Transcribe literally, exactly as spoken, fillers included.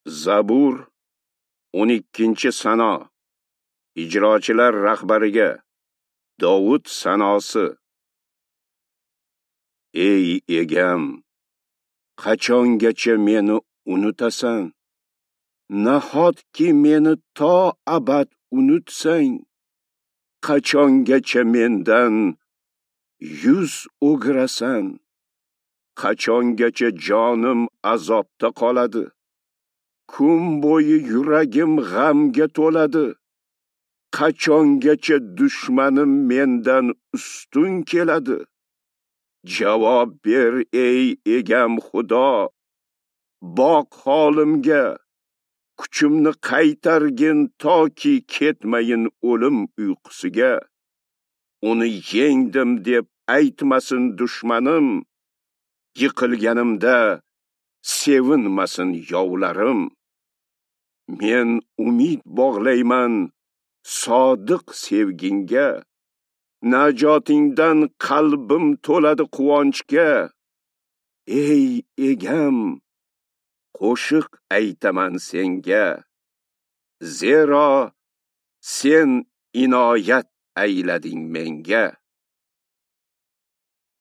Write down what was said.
Zabur o'n ikkinchi sano. Ijrochilar rahbariga Dovud sanosi. Ey egam, qachongacha meni unutasan? Nahotki meni to abad unutsang? Qachongacha mendan yuz o'girasan? Qachongacha jonim azobda qoladi? Kun bo'yi yuragim g'amga to'ladi. Qachongacha dushmanim mendan ustun keladi? Javob ber ey egam Xudo, boq holimga, kuchimni qaytargin toki ketmayin o'lim uyqusiga. Uni yengdim deb aytmasin dushmanim, yiqilganimda sevinmasin yovlarim. Men umid bog'layman sodiq sevgingga, najotingdan qalbim to'ladi quvonchga. Ey egam, qo'shiq aytaman senga, zero sen inoyat aylading menga.